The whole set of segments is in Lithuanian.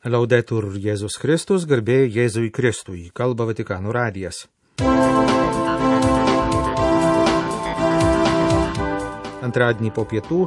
Laudetur Jėzus Kristus, garbė Jėzui Kristui, kalba Vatikano radijas. Antradienį po pietų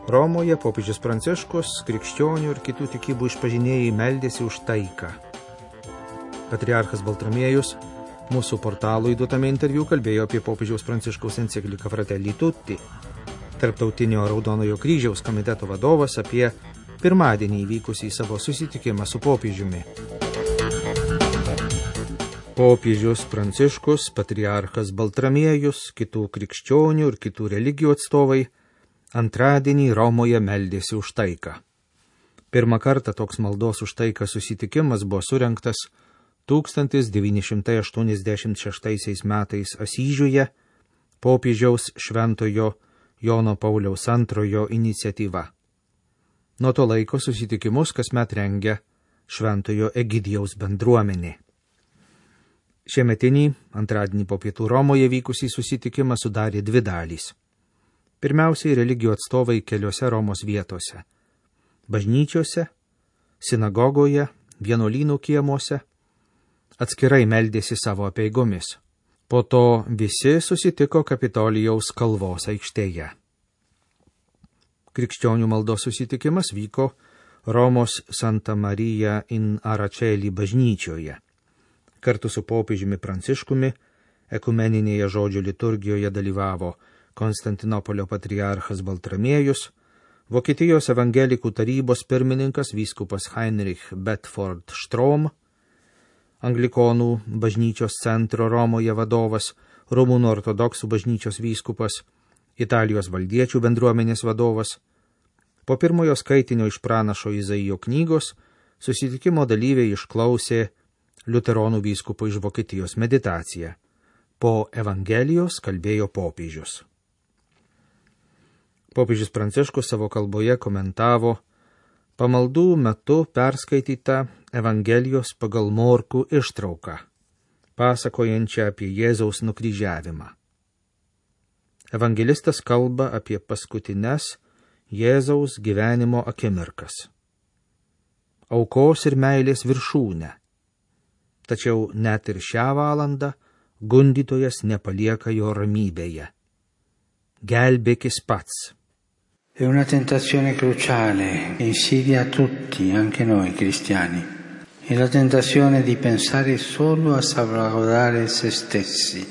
Romoje popiežius Pranciškus, krikščionių ir kitų tikybų išpažinėjai meldėsi už taiką. Patriarchas Baltramiejus mūsų portalui duotame interviu kalbėjo apie popiežiaus Pranciškaus encikliką Fratelli Tutti. Tarptautinio Raudonojo kryžiaus komiteto vadovas apie pirmadienį įvykusį savo susitikimą su popiežiumi. Popiežius Pranciškus, patriarchas Baltramiejus, kitų krikščionių ir kitų religijų atstovai antradienį Romoje meldėsi už taiką. Pirmą kartą toks maldos už taiką susitikimas buvo surengtas 1986 metais Asyžiuje popiežiaus Šventojo Jono Pauliaus II iniciatyva. Nuo to laiko susitikimus kasmet rengia Šventojo Egidijaus bendruomenė. Šiemetinį antradienį po pietų Romoje vykusį susitikimą sudarė dvi dalys. Pirmiausiai religijų atstovai keliose Romos vietose – bažnyčiose, sinagogoje, vienuolynų kiemuose – atskirai meldėsi savo apeigomis. Po to visi susitiko Kapitolijaus kalvos aikštėje. Krikščionių maldos susitikimas vyko Romos Santa Marija in Aračeli bažnyčioje. Kartu su popiežiumi Pranciškumi ekumeninėje žodžio liturgijoje dalyvavo Konstantinopolio patriarchas Baltramiejus, Vokietijos evangelikų tarybos pirmininkas vyskupas Heinrich Bedford Strom, Anglikonų bažnyčios centro Romoje vadovas, Rumunų ortodoksų bažnyčios vyskupas, Italijos valdiečių bendruomenės vadovas. Po pirmojo skaitinio iš pranašo Izaijo knygos susitikimo dalyviai išklausė liuteronų vyskupo iš Vokietijos meditaciją. Po Evangelijos kalbėjo popiežius. Popiežius Pranciškus savo kalboje komentavo pamaldų metu perskaitytą Evangelijos pagal Morkų ištrauką, pasakojančią apie Jėzaus nukryžiavimą. Evangelistas kalba apie paskutines Jėzaus gyvenimo akimirkas. Aukos ir meilės viršūnę. Tačiau net ir šią valandą gundytojas nepalieka jo ramybėje. Gelbėkis pats. È una tentazione cruciale che insidia a tutti, anche noi cristiani. È la tentazione di pensare solo a salvaguardare se stessi.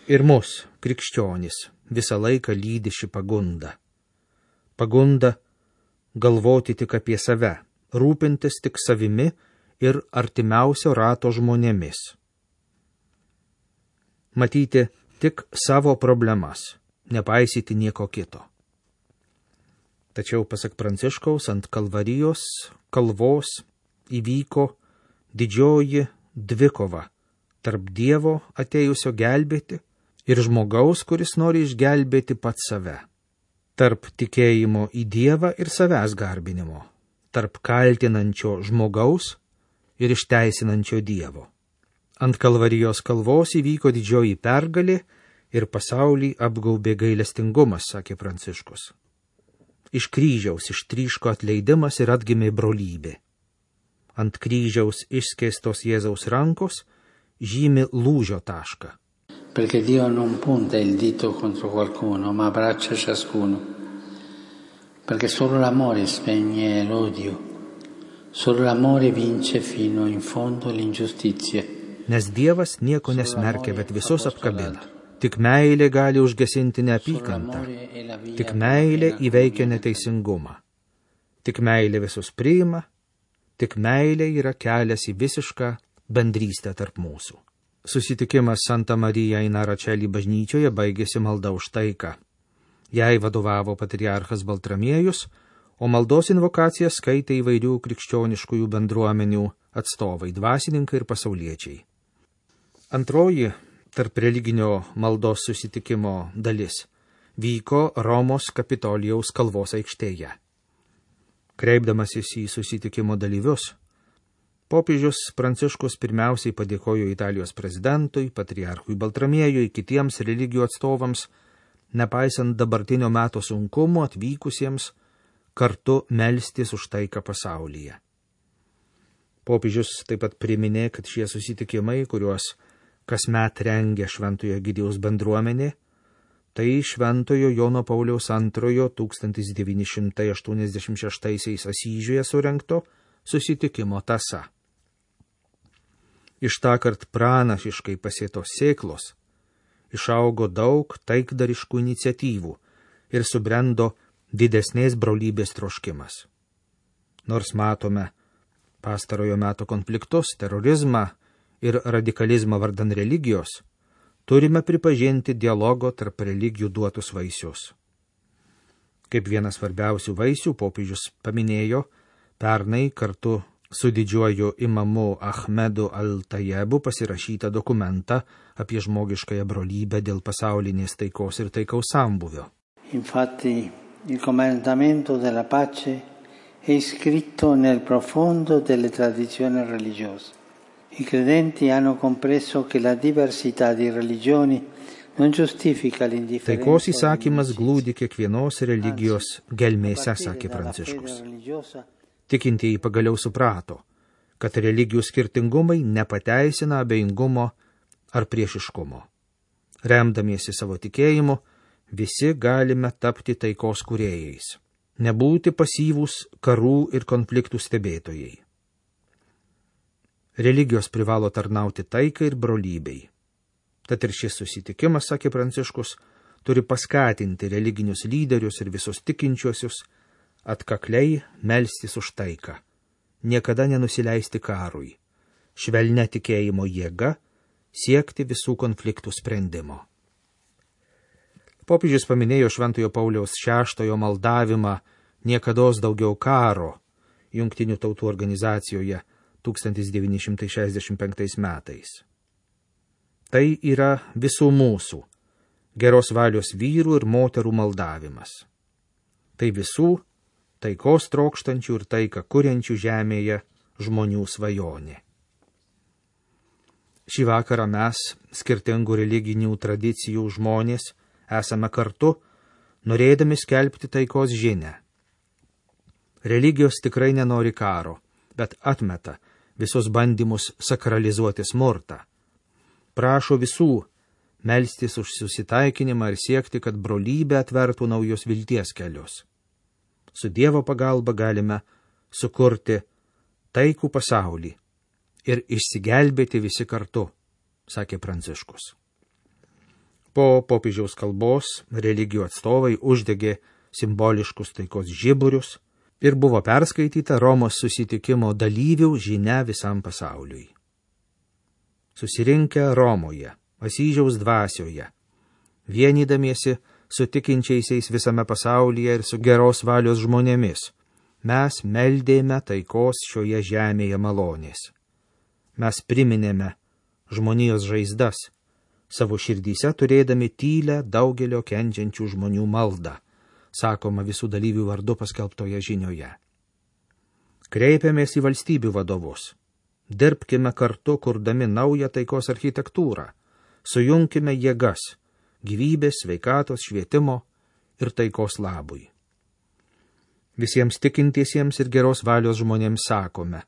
Ir mus, krikščionys, visą laiką lydi ši pagunda. Pagunda galvoti tik apie save, rūpintis tik savimi ir artimiausio rato žmonėmis. Matyti tik savo problemas, nepaisyti nieko kito. Tačiau, pasak Pranciškaus, ant Kalvarijos kalvos įvyko didžioji dvikova tarp Dievo atėjusio gelbėti ir žmogaus, kuris nori išgelbėti pats save. Tarp tikėjimo į Dievą ir savęs garbinimo. Tarp kaltinančio žmogaus ir išteisinančio Dievo. Ant Kalvarijos kalvos įvyko didžioji pergalė ir pasaulį apgaubė gailestingumas, sakė Pranciškus. Iš kryžiaus ištryško atleidimas ir atgimė brolybė. Ant kryžiaus išskėstos Jėzaus rankos žymi lūžio tašką. Perché Dio non punta il dito contro qualcuno, ma abbraccia ciascuno. Perché solo l'amore spegne l'odio. Solo l'amore vince fino in fondo l'ingiustizia. Nes Dievas nieko nesmerkia, bet visus apkabina. Tik meilė gali užgesinti neapykantą. Tik meilė įveikia neteisingumą. Tik meilė visus priima. Tik meilė yra kelias į visišką bendrystę tarp mūsų. Susitikimas Santa Marija in Aračeli bažnyčioje baigėsi malda už taiką. Jai vadovavo patriarchas Baltramiejus, o maldos invokacijas skaitė įvairių krikščioniškųjų bendruomenių atstovai, dvasininkai ir pasauliečiai. Antroji tarp religinio maldos susitikimo dalis vyko Romos Kapitolijaus kalvos aikštėje. Kreipdamasis į susitikimo dalyvius, popiežius Pranciškus pirmiausiai padėkojo Italijos prezidentui, patriarchui Baltramiejui, kitiems religijų atstovams, nepaisant dabartinio meto sunkumų atvykusiems kartu melstis už taiką pasaulyje. Popiežius taip pat priminė, kad šie susitikimai, kuriuos kasmet rengia Šventojo Egidijaus bendruomenė, tai Šventojo Jono Pauliaus II 1986 Asyžiuje surengto susitikimo tąsa. Iš tąkart pranašiškai pasėtos sėklos išaugo daug taikdariškų iniciatyvų ir subrendo didesnės brolybės troškimas. Nors matome pastarojo meto konfliktus, terorizmą ir radikalizmą vardan religijos, turime pripažinti dialogo tarp religijų duotus vaisius. Kaip vienas svarbiausių vaisių popiežius paminėjo pernai kartu su didžiuoju imamu Ahmedu Al-Tajebu pasirašytą dokumentą apie žmogiškąją brolybę dėl pasaulinės taikos ir taikaus sambūvio. Infatti, il comandamento della pace è iscritto nel profondo delle tradizioni religiose. I credenti hanno compreso che la diversità di religioni non giustifica l'indifferenza. Taikos įsakymas glūdi kiekvienos religijos gelmėse, sakė Pranciškus. Tikintieji pagaliau suprato, kad religijų skirtingumai nepateisina abejingumo ar priešiškumo. Remdamiesi savo tikėjimu, visi galime tapti taikos kūrėjais, nebūti pasyvūs karų ir konfliktų stebėtojai. Religijos privalo tarnauti taikai ir brolybei. Tad ir šis susitikimas, sakė Pranciškus, turi paskatinti religinius lyderius ir visus tikinčiuosius atkakliai melstis už taiką, niekada nenusileisti karui, švelnia tikėjimo jėga siekti visų konfliktų sprendimo. Popiežius paminėjo Šventojo Pauliaus VI maldavimą niekados daugiau karo Jungtinių tautų organizacijoje 1965 metais. Tai yra visų mūsų, geros valios vyrų ir moterų maldavimas. Tai visų taikos trokštančių ir taiką kuriančių žemėje žmonių svajonė. Šį vakarą mes, skirtingų religinių tradicijų žmonės, esame kartu, norėdami skelbti taikos žinią. Religijos tikrai nenori karo, bet atmeta visus bandymus sakralizuoti smurtą. Prašo visų melstis už susitaikinimą ir siekti, kad brolybė atvertų naujus vilties kelius. Su Dievo pagalba galime sukurti taikų pasaulį ir išsigelbėti visi kartu, sakė Pranciškus. Po popiežiaus kalbos religijų atstovai uždegė simboliškus taikos žiburius ir buvo perskaityta Romos susitikimo dalyvių žinia visam pasauliui. Susirinkę Romoje, Asyžiaus dvasioje, vienydamiesi su tikinčiaisiais visame pasaulyje ir su geros valios žmonėmis, mes meldėme taikos šioje žemėje malonės. Mes priminėme žmonijos žaizdas, savo širdyse turėdami tylę daugelio kenčiančių žmonių maldą, sakoma visų dalyvių vardu paskelbtoje žinioje. Kreipiamės į valstybių vadovus. Dirbkime kartu, kurdami naują taikos architektūrą. Sujunkime jėgas, gyvybės, sveikatos, švietimo ir taikos labui. Visiems tikintiesiems ir geros valios žmonėms sakome,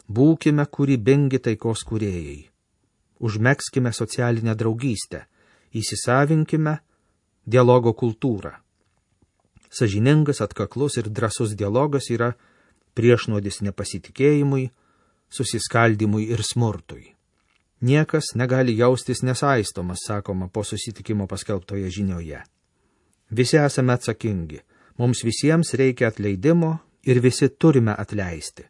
būkime kūrybingi taikos kūrėjai. Užmegzkime socialinę draugystę, įsisavinkime dialogo kultūrą. Sąžiningas, atkaklus ir drąsus dialogas yra priešnuodis nepasitikėjimui, susiskaldimui ir smurtui. Niekas negali jaustis nesaistomas, sakoma po susitikimo paskelbtoje žinioje. Visi esame atsakingi, mums visiems reikia atleidimo ir visi turime atleisti.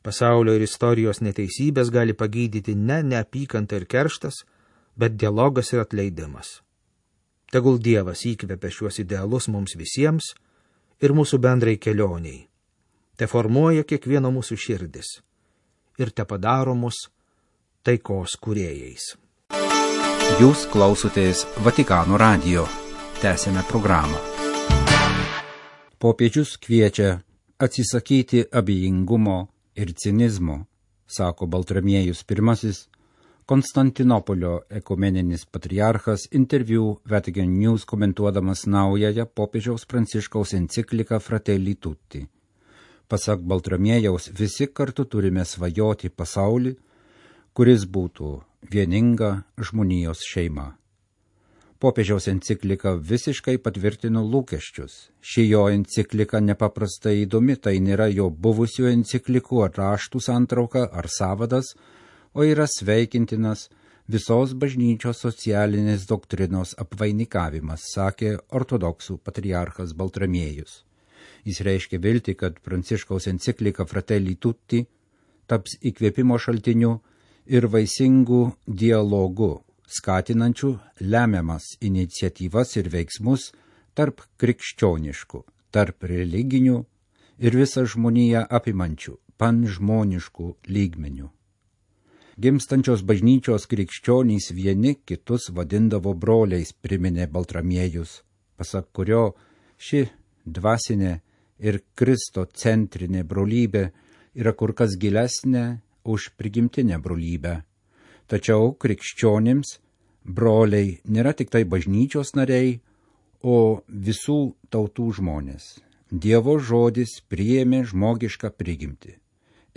Pasaulio ir istorijos neteisybės gali pagydyti ne neapykanta ir kerštas, bet dialogas ir atleidimas. Tegul Dievas įkvepia šiuos idealus mums visiems ir mūsų bendrai kelioniai. Te formuoja kiekvieno mūsų širdis ir te padaro mus taikos kūrėjais. Jūs klausotės Vatikano radijo. Tęsėme programą. Popiežius kviečia atsisakyti abejingumo ir cinizmo, sako Baltramiejus I, Konstantinopolio ekumeninis patriarchas interviu Vatican News komentuodamas naująją popiežiaus Pranciškaus encikliką Fratelli Tutti. Pasak Baltramiejaus, visi kartu turime svajoti pasaulį, kuris būtų vieninga žmonijos šeima. Popiežiaus enciklika visiškai patvirtino lūkesčius. Ši jo enciklika nepaprastai įdomi, tai nėra jo buvusių enciklikų ar raštų santrauka ar sąvadas, o yra sveikintinas visos bažnyčios socialinės doktrinos apvainikavimas, sakė ortodoksų patriarchas Baltramiejus. Jis reiškia viltį, kad Pranciškaus enciklika Fratelli Tutti taps įkvėpimo šaltiniu ir vaisingų dialogų, skatinančių lemiamas iniciatyvas ir veiksmus tarp krikščioniškų, tarp religinių ir visą žmoniją apimančių, panžmoniškų lygmenių. Gimstančios bažnyčios krikščionys vieni kitus vadindavo broliais, priminė Baltramiejus, pasak kurio ši dvasinė ir kristocentrinė brolybė yra kur kas gilesnė už prigimtinę brolybę. Tačiau krikščionims broliai nėra tik tai bažnyčios nariai, o visų tautų žmonės. Dievo žodis priėmė žmogišką prigimtį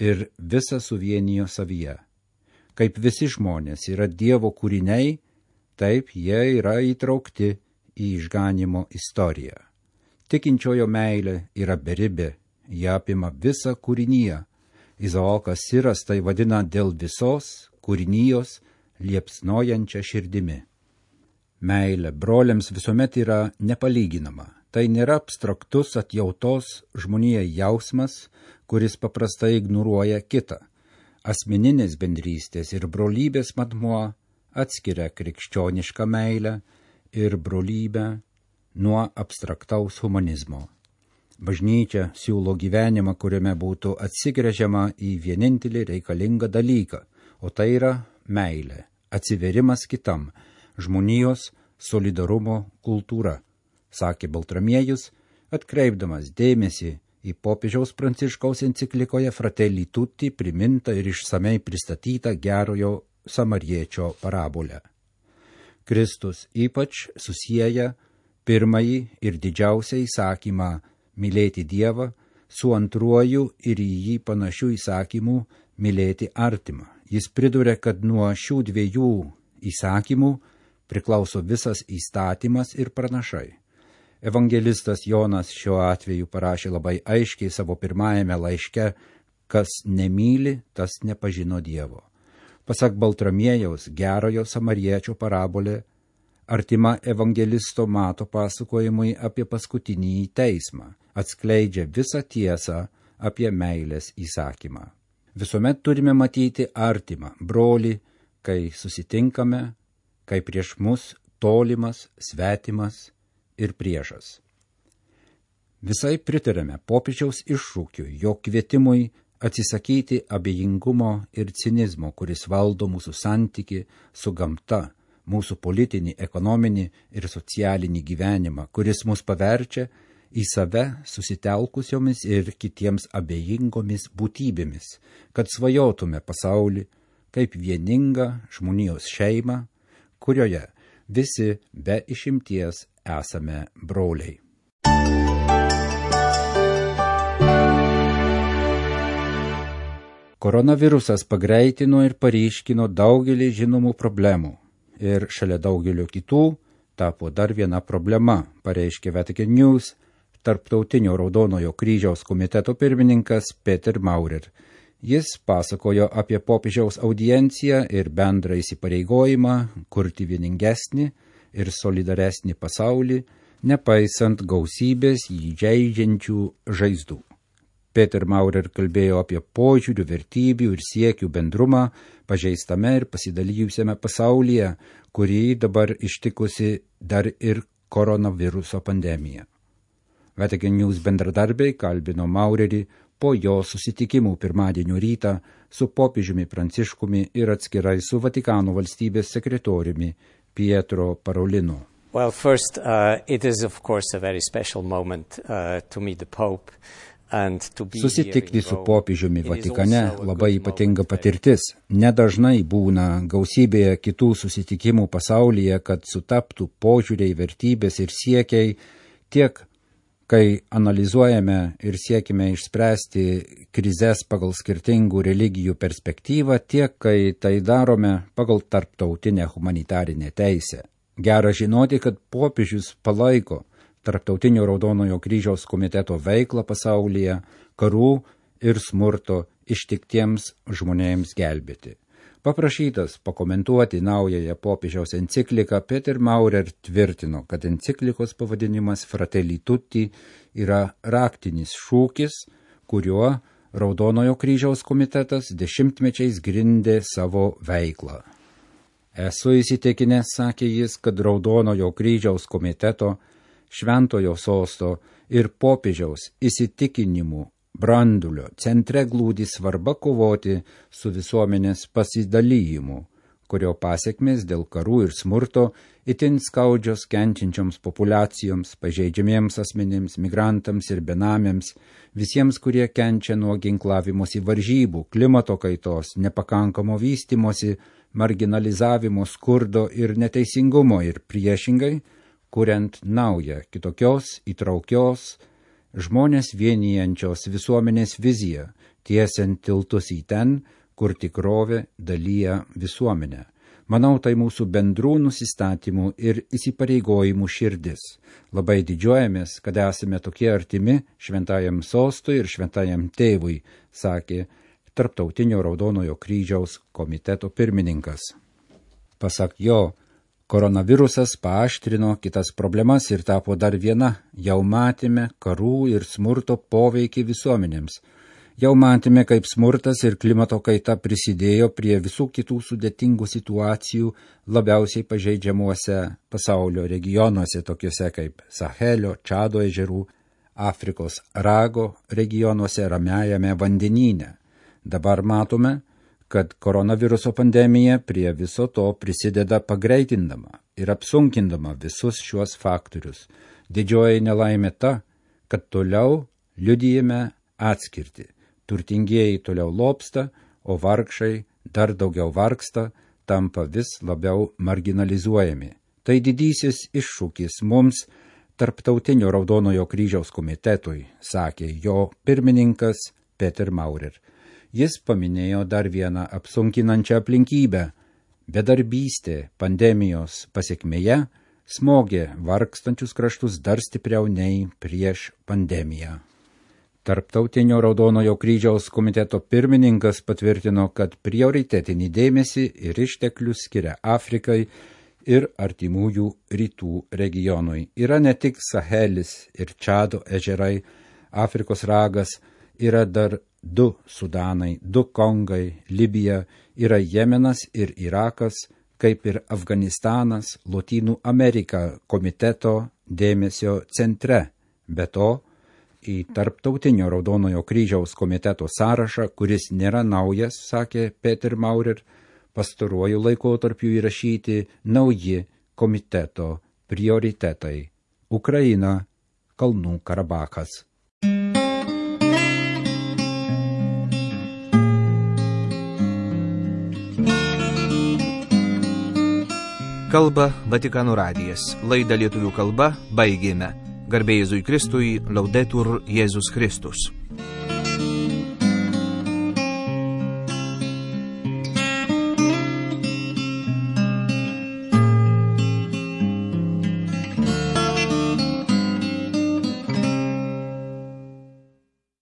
ir visą suvienijo savyje. Kaip visi žmonės yra Dievo kūriniai, taip jie yra įtraukti į išganimo istoriją. Tikinčiojo meilė yra beribė, jie apima visą kūriniją. Izaokas Siras tai vadina dėl visos kūrinijos liepsnojančia širdimi. Meilė broliams visuomet yra nepalyginama. Tai nėra abstraktus atjautos žmonijai jausmas, kuris paprastai ignoruoja kitą. Asmeninės bendrystės ir brolybės matmuo atskiria krikščionišką meilę ir brolybę nuo abstraktaus humanizmo. Bažnyčia siūlo gyvenimą, kuriame būtų atsigręžiama į vienintelį reikalingą dalyką, o tai yra meilė, atsiverimas kitam, žmonijos solidarumo kultūra, sakė Baltramiejus, atkreipdamas dėmesį į popiežiaus Pranciškaus enciklikoje Fratelli Tutti primintą ir išsamei pristatytą gerojo samariečio parabolę. Kristus ypač susieja pirmąjį ir didžiausią įsakymą mylėti Dievą su antruoju ir į jį panašių įsakymų mylėti artimą. Jis priduria, kad nuo šių dviejų įsakymų priklauso visas įstatymas ir pranašai. Evangelistas Jonas šiuo atveju parašė labai aiškiai savo pirmajame laiške, kas nemyli, tas nepažino Dievo. Pasak Baltramiejaus, gerojo samariečio parabolė artima evangelisto Mato pasakojimui apie paskutinį teismą, atskleidžia visą tiesą apie meilės įsakymą. Visuomet turime matyti artimą, brolį, kai susitinkame, kai prieš mus tolimas, svetimas ir priešas. Visai pritarėme popiežiaus iššūkiui, jo kvietimui atsisakyti abejingumo ir cinizmo, kuris valdo mūsų santyki su gamta, mūsų politinį, ekonominį ir socialinį gyvenimą, kuris mus paverčia į save susitelkusiomis ir kitiems abejingomis būtybėmis, kad svajotume pasaulį kaip vieningą žmonijos šeimą, kurioje visi be išimties esame broliai. Koronavirusas pagreitino ir paryškino daugelį žinomų problemų ir šalia daugelio kitų tapo dar viena problema, pareiškė Vatican News Tarptautinio Raudonojo kryžiaus komiteto pirmininkas Peter Maurer. Jis pasakojo apie popiežiaus audienciją ir bendrą įsipareigojimą kurti vieningesnį ir solidaresnį pasaulį, nepaisant gausybės jį žeidžiančių žaizdų. Peter Maurer kalbėjo apie požiūrių, vertybių ir siekių bendrumą pažeistame ir pasidalijusiame pasaulyje, kurį dabar ištikusi dar ir koronaviruso pandemija. Vatican News bendradarbiai kalbino Maurerį po jo susitikimų pirmadienio rytą su popiežiumi Pranciškumi ir atskirai su Vatikano valstybės sekretoriumi Pietro Parolino. Well, first, it is of course a very special moment to meet the Pope. Susitikti su popiežiumi Vatikane labai ypatinga patirtis. Nedažnai būna gausybėje kitų susitikimų pasaulyje, kad sutaptų požiūriai, vertybės ir siekiai tiek Kai analizuojame ir siekime išspręsti krizes pagal skirtingų religijų perspektyvą, tiek kai tai darome pagal tarptautinę humanitarinę teisę. Gera žinoti, kad popiežius palaiko Tarptautinio Raudonojo kryžiaus komiteto veiklą pasaulyje, karų ir smurto ištiktiems žmonėms gelbėti. Paprašytas pakomentuoti naująją popiežiaus encikliką, Peter Maurer tvirtino, kad enciklikos pavadinimas Fratelli Tutti yra raktinis šūkis, kuriuo Raudonojo kryžiaus komitetas dešimtmečiais grindė savo veiklą. Esu įsitikinęs, sakė jis, kad Raudonojo kryžiaus komiteto, Šventojo sosto ir popiežiaus įsitikinimų brandulio centre glūdi svarba kovoti su visuomenės pasidalyjimu, kurio pasekmės dėl karų ir smurto itin skaudžios kenčiančioms populiacijoms, pažeidžiamiems asmenims, migrantams ir benamiams, visiems, kurie kenčia nuo ginklavimosi varžybų, klimato kaitos, nepakankamo vystymosi, marginalizavimo, skurdo ir neteisingumo ir priešingai, kuriant naują, kitokios, įtraukios, žmonės vienijančios visuomenės viziją, tiesiant tiltus į ten, kur tikrovė dalyja visuomenę. Manau, tai mūsų bendrų nusistatymų ir įsipareigojimų širdis. Labai didžiuojamės, kad esame tokie artimi Šventajam sostui ir Šventajam tėvui, sakė Tarptautinio Raudonojo kryžiaus komiteto pirmininkas. Pasak jo, koronavirusas paaštrino kitas problemas ir tapo dar viena. Jau matėme karų ir smurto poveikį visuomenėms. Jau matėme, kaip smurtas ir klimato kaita prisidėjo prie visų kitų sudėtingų situacijų labiausiai pažeidžiamuose pasaulio regionuose, tokiuose kaip Sahelio, Čado ežerų, Afrikos rago regionuose, Ramiajame vandenyne. Dabar matome, kad koronaviruso pandemija prie viso to prisideda pagreitindama ir apsunkindama visus šiuos faktorius. Didžioji nelaimė ta, kad toliau liudijame atskirtį. Turtingieji toliau lobsta, o vargšai dar daugiau vargsta, tampa vis labiau marginalizuojami. Tai didysis iššūkis mums, Tarptautinio Raudonojo kryžiaus komitetui, sakė jo pirmininkas Peter Maurer. Jis paminėjo dar vieną apsunkinančią aplinkybę. Bedarbystė pandemijos pasekmėje smogė vargstančius kraštus dar stipriau nei prieš pandemiją. Tarptautinio Raudonojo kryžiaus komiteto pirmininkas patvirtino, kad prioritetinį dėmesį ir išteklius skiria Afrikai ir artimųjų rytų regionui. Yra ne tik Sahelis ir Čado ežerai, Afrikos ragas, yra dar 2 Sudanai, 2 Kongai, Libija, yra Jemenas ir Irakas, kaip ir Afganistanas, Lotynų Amerika komiteto dėmesio centre. Be to, į Tarptautinio Raudonojo kryžiaus komiteto sąrašą, kuris nėra naujas, sakė Peter Maurer, pastaruoju laikotarpiu įrašyti nauji komiteto prioritetai – Ukraina, Kalnų Karabachas. Kalba Vatikano radijas. Laidą lietuvių kalba baigėme. Garbė Jėzui Kristui, Laudetur Jėzus Kristus.